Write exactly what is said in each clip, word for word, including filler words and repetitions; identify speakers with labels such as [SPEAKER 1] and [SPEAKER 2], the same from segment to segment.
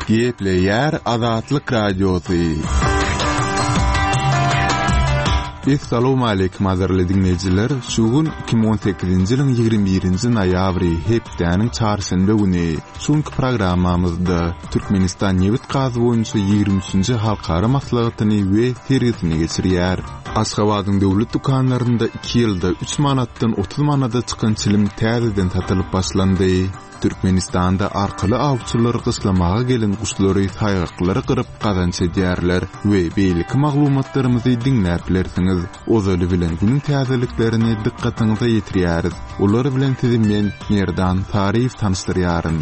[SPEAKER 1] Gepleýär Azatlyk Radiosy. Essalawmaleýkim gadyrly diňleýjiler! Şu gün iki müň on sekizinji ýylyň ýigrimi birinji noýabry, hepdäniň çarşenbe güni. Şu günki programmamyzda Türkmenistan nebit-gaz boýunça ýigrimi üçünji halkara maslahatyny we sergisini geçirýär. Aşgabadyň döwlet dükanlarynda iki ýylda üç manatdan otuz manada çykan çilim täzeden satylyp başlandy. Türkmenistanda arkaly awçylar gyşlamaga gelen guşlary saýgaklary gyryp gazanç edýärler we beýleki maglumatlarymyzy diňläp bilersiňiz. Ozaly bilen günüň täzeliklerini dykgatyňyza ýetirýäris. Olar bilen sizi men, Merdan Saryýew tanyşdyrýaryn.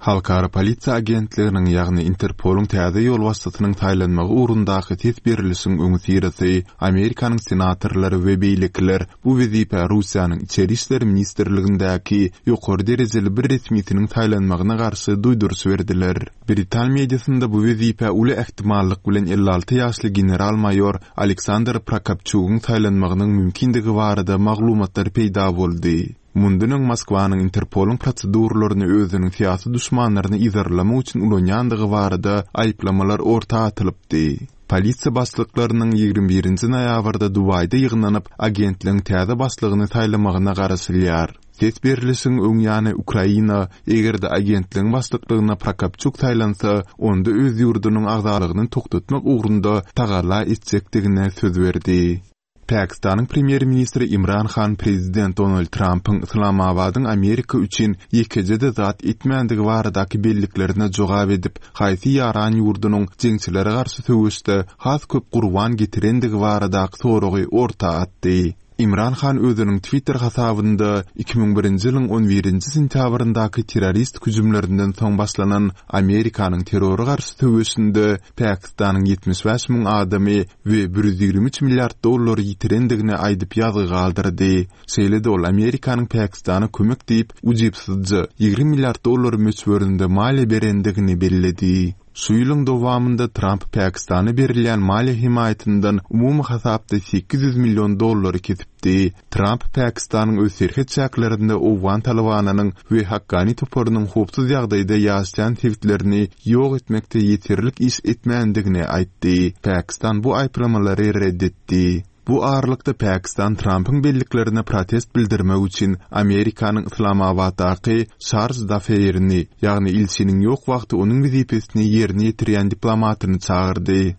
[SPEAKER 1] Halkara polisiýa agentliginiň, ýagny Interpolyň täze ýolbaşçysynyň saýlanmagy ugrundaky ses berlişiň öňüsyrasy Amerikanyň senatorlary we beýlekiler bu wezipä Russiýanyň Içeri işler ministrligindäki ýokary derejeli bir resmisiniň saýlanmagyna garşy duýduryş berdiler. Britan mediasynda bu wezipä uly ähtimallyk bilen elli alty ýaşly general-maýor Aleksandr Prokopçugyň saýlanmagynyň mümkindigi barada maglumatlar peýda boldy. Mundan öň Moskwanyň Interpolyň proseduralaryny özüniň syýasy duşmanlaryny yzarlamak üçin ulanýandygy barada aýyplamalar orta atylypdy. Polisiýa başlyklarynyň ýigrimi birinji noýabrda Dubaýda ýygnanyp, agentligiň täze başlygyny saýlamagyna garaşylýar. Ses berlişiň öň ýany Ukraina, eger-de agentligiň başlyklygyna Prokopçuk saýlansa, onda öz ýurdunyň agzalygyny togtatmak ugrunda tagalla etjekdigine söz berdi. Pakistanyň premýer-ministri Imran Han prezident Donald Trampyň Yslamabadyň Amerika üçin ýekeje-de zat etmändigi baradaky belliklerine jogap edip, haýsy ýaran ýurdunyň jeňçilere garşy söweşde has köp gurban getirendigi baradaky soragy orta atdy. Imran Han özüniň Twitter hasabynda iki müň birinji ýylyň on birinji sentýabryndaky terrorist hüjümlerinden soň başlanan Amerikanyň terrora garşy söweşinde Pakistanyň ýetmiş bäş müň adamy we bir ýüz ýigrimi üç milliard dollary ýitirendigini aýdyp ýazgy galdyrdy. Şeýle-de ol Amerikanyň Pakistana kömek diýip ujypsyzja ýigrimi milliard dollar möçberinde maliýe berendigini belledi. Şu ýylyň dowamynda Tramp Pakistana berilýän maliýe hemaýatyndan umumy hasapda sekiz ýüz million dollary kesipdi. Tramp Pakistanyň öz serhet çäklerinde Owgan Talybanynyň we Hakkani toparynyň howpsuz ýagdaýda ýaşaýan sebitlerini ýok etmekde ýeterlik iş etmändigini aýtdy. Pakistan bu aýyplamalary red etdi. Bu aralykda Pakistan Trampyň belliklerine protest bildirmek üçin Amerikanyň Yslamabatdaky Şarj d'Affaires-ini, ýagny ilçiniň ýok wagty onuň wezipesini ýerine ýetirýän diplomatyny çagyrdy.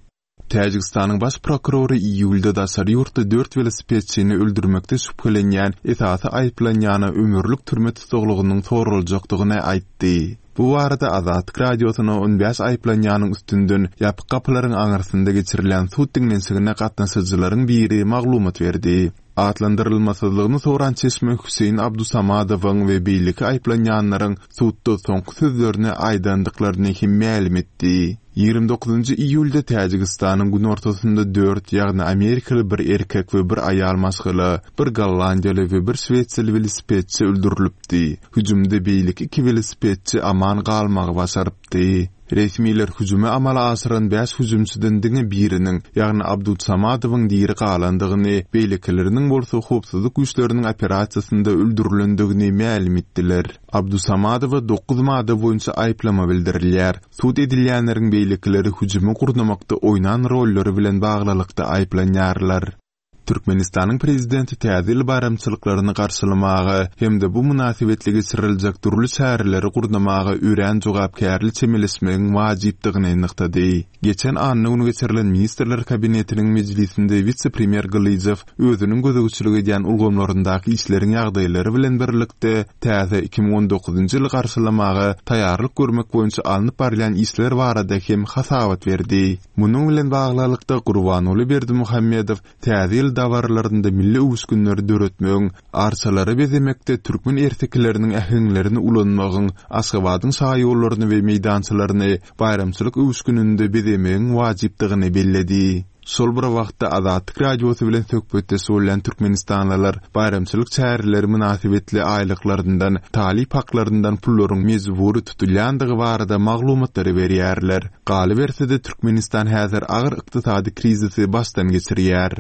[SPEAKER 1] Täjigistanyň baş prokurory iýulda daşary ýurtda dört welosipedçini öldürmekde şübhelenýän esasy aýyplanýana ömürlik türme tussaglygynyň soraljakdygyny aýtdy. Bu barada Azatlyk Radiosyna on bäş aýyplanýanyň üstünden ýapyk gapylaryň aňyrsynda geçirilen sud diňlenişigine gatnaşyjylaryň biri maglumat berdi. Atlandyrylmasyzlygyny soran çeşme Hüseýin Abdusamadowyň we beýleki aýyplanýanlaryň sudda soňky sözlerini aýdandyklaryny hem mälim etdi. Ýigrimi dokuzynjy iýulda Täjigistanyň günortasynda dört, ýagny amerikaly bir erkek we bir aýal maşgala, bir gollandiýaly we bir şwesiýaly welosipedçi öldürilipdi. Hüjümde beýleki iki welosipedçi aman galmagy başarypdy. Resmiler hüjümi amala aşyran bäş hüjümçiden diňe biriniň, ýagny Abdusamadowyň diri galandygyny, beýlekileriniň bolsa howpsuzlyk güýçleriniň operasiýasynda öldürilendigini mälim etdiler. Abdusamadowa dokuz madda boýunça aýyplama bildirilýär. Sud edilýänleriň beýlekileri hüjümi gurnamakda oýnan rollary bilen baglylykda aýyplanýarlar. Türkmenistanyň prezidenti täze ýyl baýramçylyklaryny garşylamaga hem-de bu mynasybetli geçiriljek dürli çäreleri gurnamaga örän jogapkärli çemeleşmegiň wajypdygyny nygtady. Geçen anna güni geçirilen Ministrler Kabinetiniň mejlisinde wise-premýer Gylyjow özüniň gözegçilik edýän ulgamlaryndaky işleriň ýagdaýlary bilen birlikde täze iki müň on dokuzynjy ýyly garşylamaga taýýarlyk görmek boýunça alnyp barylýan işler barada hem hasabat berdi. Munuň bilen baglylykda Gurbanguly Berdimuhamedow täze ýyl dabaralarynda milli öwüşginleri döretmegiň, arçalary bezemekde türkmen ertekileriniň äheňlerini ulanmagyň, Aşgabadyň şaýollaryny we meýdançalaryny baýramçylyk öwüşgininde bezemegiň wajypdygyny belledi. Şol bir wagtda Azatlyk Radiosy bilen söhbetdeş bolýan türkmenistanlylar baýramçylyk çäreleri mynasybetli aýlyklaryndan, talyp haklaryndan pullaryň mejbury tutulýandygy barada maglumatlary berýärler. Galyberse-de Türkmenistan häzir agyr ykdysady krizisi başdan geçirýär.